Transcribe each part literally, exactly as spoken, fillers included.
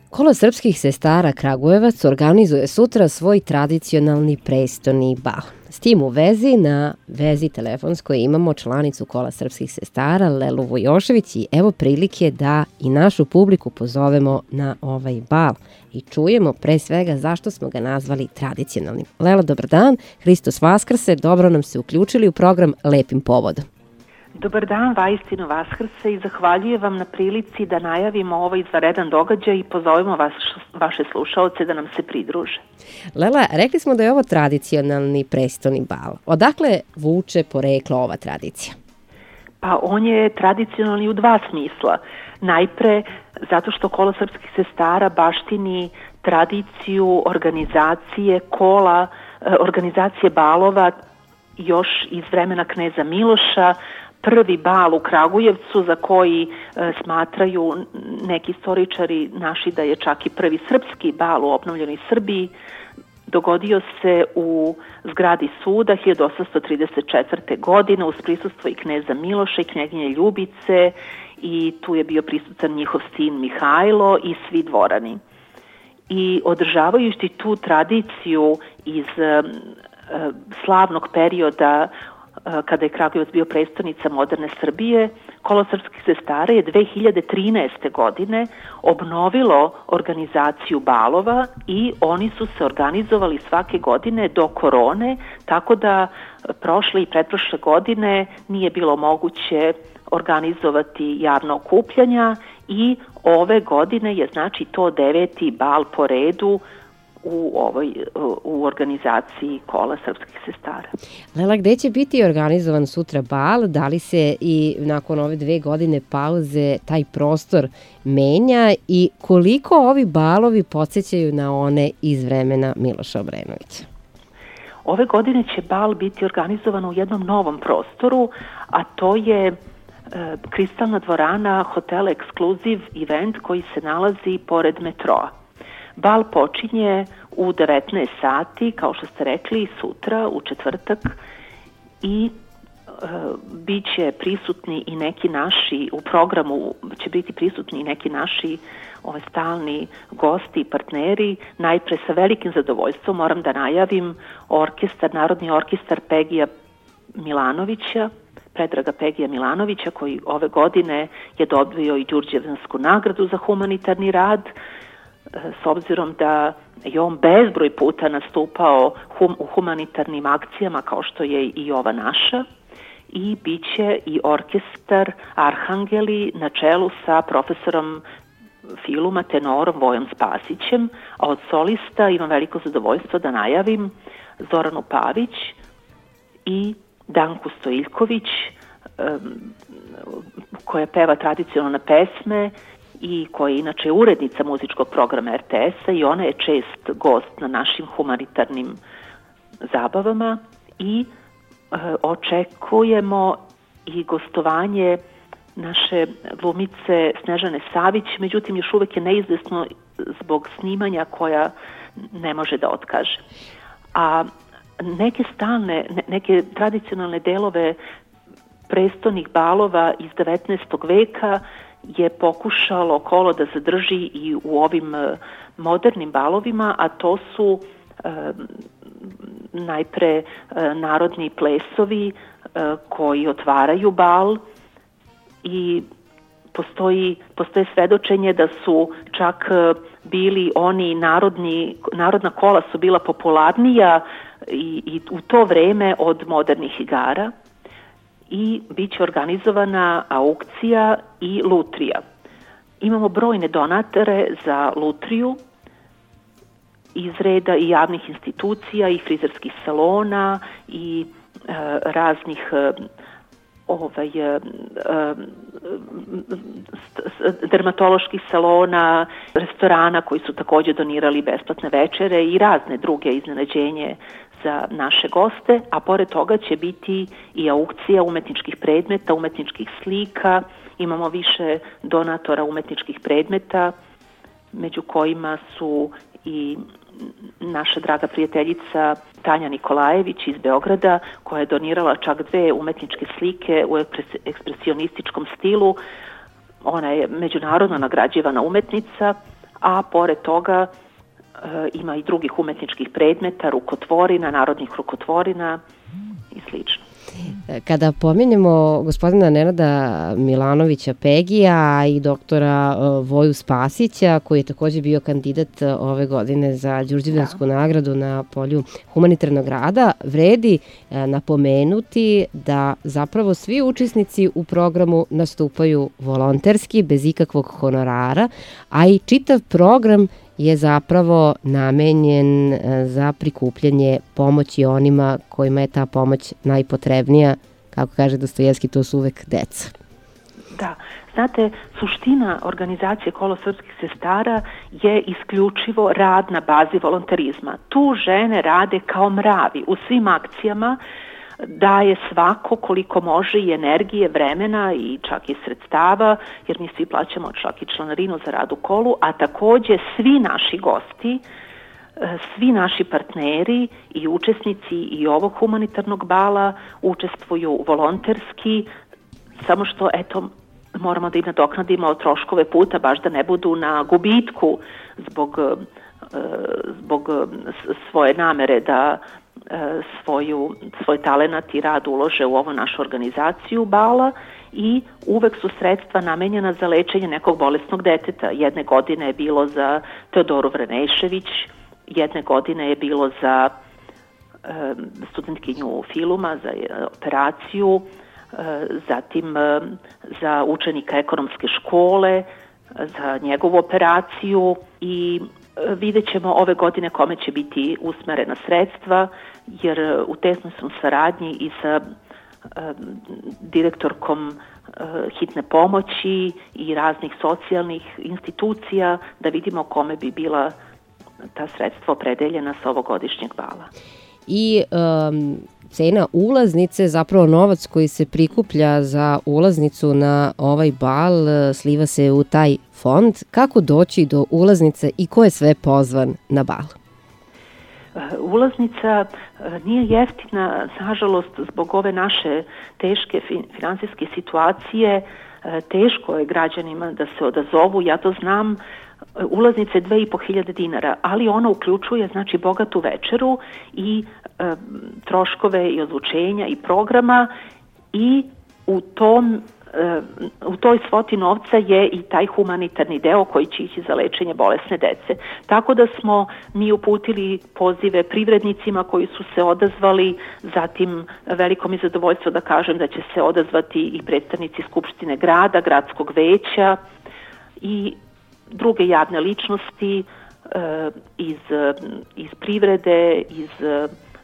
Kolo srpskih sestara Kragujevac organizuje sutra svoj tradicionalni prestoni bal. S tim u vezi, na vezi telefonskoj imamo članicu Kola srpskih sestara Lelu Vujošević i evo prilike da i našu publiku pozovemo na ovaj bal i čujemo pre svega zašto smo ga nazvali tradicionalnim. Lela, dobar dan, Hristos Vaskrse, dobro nam se uključili u program Lepim povodom. Dobar dan, vaistinu Vaskrse, i zahvaljujem vam na prilici da najavimo ovaj izvanredan događaj i pozovemo vas, vaše slušaoce da nam se pridruže. Lela, rekli smo da je ovo tradicionalni prestoni bal. Odakle vuče poreklo ova tradicija? Pa on je tradicionalni u dva smisla. Najpre zato što Kolo srpskih sestara baštini tradiciju organizacije kola, organizacije balova još iz vremena kneza Miloša. Prvi bal u Kragujevcu, za koji e, smatraju neki istoričari naši da je čak i prvi srpski bal u obnovljenoj Srbiji, dogodio se u zgradi suda hiljadu osamsto trideset četvrte. godine uz prisustvo i kneza Miloša i knjeginje Ljubice, i tu je bio prisutan njihov sin Mihajlo i svi dvorani. I održavajući tu tradiciju iz e, slavnog perioda kada je Kragujevac bio prestonica moderne Srbije, Kolo srpskih sestara je dve hiljade trinaeste. godine obnovilo organizaciju balova i oni su se organizovali svake godine do korone, tako da prošle i pretprošle godine nije bilo moguće organizovati javna okupljanja i ove godine je znači to deveti bal po redu u ovoj u organizaciji Kola srpskih sestara. Lela, gde će biti organizovan sutra bal? Da li se i nakon ove dve godine pauze taj prostor menja i koliko ovi balovi podsjećaju na one iz vremena Miloša Obrenovića? Ove godine će bal biti organizovan u jednom novom prostoru, a to je e, Kristalna dvorana hotela Ekskluziv event koji se nalazi pored metroa. Bal počinje u devetnaest sati, kao što ste rekli, sutra, u četvrtak, i e, bit će prisutni i neki naši, u programu će biti prisutni i neki naši ove, stalni gosti i partneri. Najpre sa velikim zadovoljstvom moram da najavim orkestar, Narodni orkestar Pegija Milanovića, Predraga Pegija Milanovića, koji ove godine je dobio i Đurđevansku nagradu za humanitarni rad, s obzirom da je on bezbroj puta nastupao hum, u humanitarnim akcijama kao što je i ova naša, i bit će i orkestar Arhangeli na čelu sa profesorom filuma tenorom Vojom Spasićem, a od solista imam veliko zadovoljstvo da najavim Zoranu Pavić i Danku Stojiljković, koja peva tradicionalne pesme i koja je inače urednica muzičkog programa er te es-a i ona je čest gost na našim humanitarnim zabavama i e, očekujemo i gostovanje naše glumice Snežane Savić, međutim još uvek je neizvesno zbog snimanja koja ne može da otkaže. A neke stalne, neke tradicionalne delove prestonih balova iz devetnaestog. veka je pokušalo Kolo da zadrži i u ovim modernim balovima, a to su e, najpre e, narodni plesovi e, koji otvaraju bal i postoji, postoje svedočenje da su čak bili oni narodni, narodna kola su bila popularnija i, i u to vreme od modernih igara. I bit će organizovana aukcija i lutrija. Imamo brojne donatore za lutriju iz reda i javnih institucija i frizerskih salona i e, raznih e, ovaj, e, dermatoloških salona, restorana koji su takođe donirali besplatne večere i razne druge iznenađenje za naše goste, a pored toga će biti i aukcija umetničkih predmeta, umetničkih slika. Imamo više donatora umetničkih predmeta, među kojima su i naša draga prijateljica Tanja Nikolajević iz Beograda, koja je donirala čak dve umetničke slike u ekspresionističkom stilu. Ona je međunarodno nagrađivana umetnica, a pored toga ima i drugih umetničkih predmeta, rukotvorina, narodnih rukotvorina i slično. Kada pominjemo gospodina Nenada Milanovića Pegija i doktora Voju Spasića, koji je takođe bio kandidat ove godine za Đurđevdansku da. nagradu na polju humanitarnog rada, vredi napomenuti da zapravo svi učesnici u programu nastupaju volonterski, bez ikakvog honorara, a i čitav program je zapravo namenjen za prikupljanje pomoći onima kojima je ta pomoć najpotrebnija. Kako kaže Dostojevski, to su uvek deca. Da, znate, suština organizacije Kolo srpskih sestara je isključivo rad na bazi volonterizma. Tu žene rade kao mravi u svim akcijama, daje svako koliko može i energije, vremena i čak i sredstava, jer mi svi plaćamo čak i članarinu za rad u Kolu, a takođe svi naši gosti, svi naši partneri i učesnici i ovog humanitarnog bala učestvuju volonterski, samo što, eto, moramo da im nadoknadimo troškove puta, baš da ne budu na gubitku zbog, zbog svoje namere da svoju, svoj talenat i rad ulože u ovu našu organizaciju bala i uvek su sredstva namenjena za lečenje nekog bolesnog deteta. Jedne godine je bilo za Teodoru Vranešević, jedne godine je bilo za e, studentkinju Filuma, za e, operaciju, e, zatim e, za učenika ekonomske škole, za njegovu operaciju i vidjet ćemo ove godine kome će biti usmerena sredstva, jer u tesnoj sam saradnji i sa e, direktorkom e, hitne pomoći i raznih socijalnih institucija da vidimo kome bi bila ta sredstva opredeljena sa ovogodišnjeg bala. I um, cena ulaznice, zapravo novac koji se prikuplja za ulaznicu na ovaj bal, sliva se u taj fond. Kako doći do ulaznice i ko je sve pozvan na bal? Ulaznica nije jeftina, nažalost, zbog ove naše teške finansijske situacije. Teško je građanima da se odazovu, ja to znam. Ulaznica je dve i po hiljade dinara, ali ona uključuje, znači, bogatu večeru i e, troškove i odlučenja i programa i u tom e, u toj svoti novca je i taj humanitarni deo koji će ići za lečenje bolesne dece. Tako da smo mi uputili pozive privrednicima koji su se odazvali, zatim veliko mi zadovoljstvo da kažem da će se odazvati i predstavnici Skupštine grada, gradskog veća i druge javne ličnosti e, iz, iz privrede, iz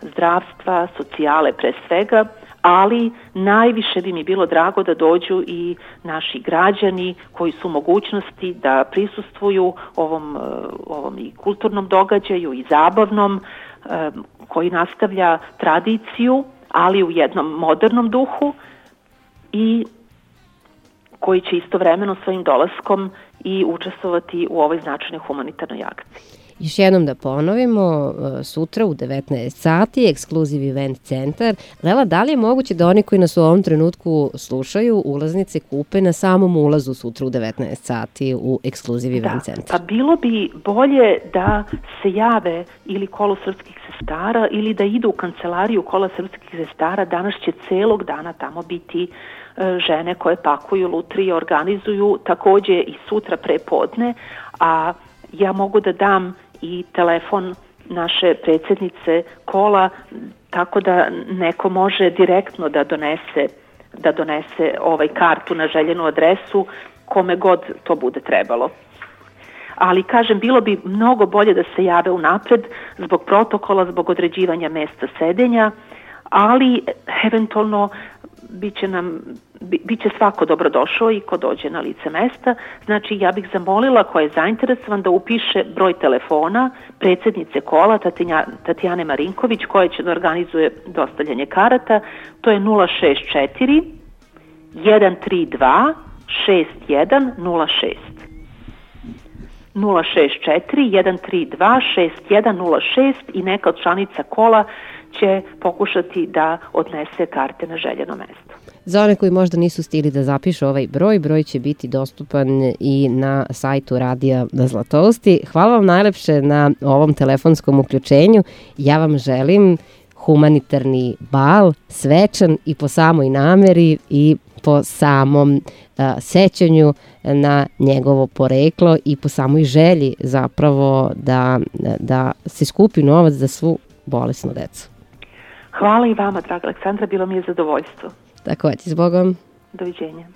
zdravstva, socijale pre svega, ali najviše bi mi bilo drago da dođu i naši građani koji su u mogućnosti da prisustvuju ovom, ovom i kulturnom događaju i zabavnom e, koji nastavlja tradiciju, ali u jednom modernom duhu i koji će istovremeno svojim dolaskom i učestvovati u ovoj značajnoj humanitarnoj akciji. Još jednom da ponovimo, sutra u devetnaest sati, Ekskluziv Event Centar. Lela, da li je moguće da oni koji nas u ovom trenutku slušaju ulaznice kupe na samom ulazu sutra u devetnaest sati u Ekskluziv Event Centar? Da, pa bilo bi bolje da se jave ili Kolo srpskih sestara ili da idu u kancelariju Kola srpskih sestara. Danas će celog dana tamo biti žene koje pakuju lutrije, organizuju, takođe i sutra pre podne, a ja mogu da dam i telefon naše predsjednice Kola, tako da neko može direktno da donese, da donese ovaj kartu na željenu adresu kome god to bude trebalo. Ali, kažem, bilo bi mnogo bolje da se jave unapred zbog protokola, zbog određivanja mesta sedenja, ali eventualno biće nam biće svako dobrodošao i ko dođe na lice mesta. Znači, ja bih zamolila ko je zainteresovan da upiše broj telefona predsjednice Kola Tatjane Marinković, koja će da organizuje dostavljanje karata. To je nula šest četiri jedan tri dva šest jedan nula šest. nula šest četiri jedan tri dva šest jedan nula šest i neka od članica Kola će pokušati da odnese karte na željeno mesto. Za one koji možda nisu stigli da zapišu ovaj broj, broj će biti dostupan i na sajtu Radija na Zlatousti. Hvala vam najlepše na ovom telefonskom uključenju. Ja vam želim humanitarni bal, svečan i po samoj nameri i po samom a, sećanju na njegovo poreklo i po samoj želji zapravo da, da se skupi novac za svu bolesnu decu. Hvala i vama, draga Aleksandra, bilo mi je zadovoljstvo. Takođe, s Bogom. Doviđenja.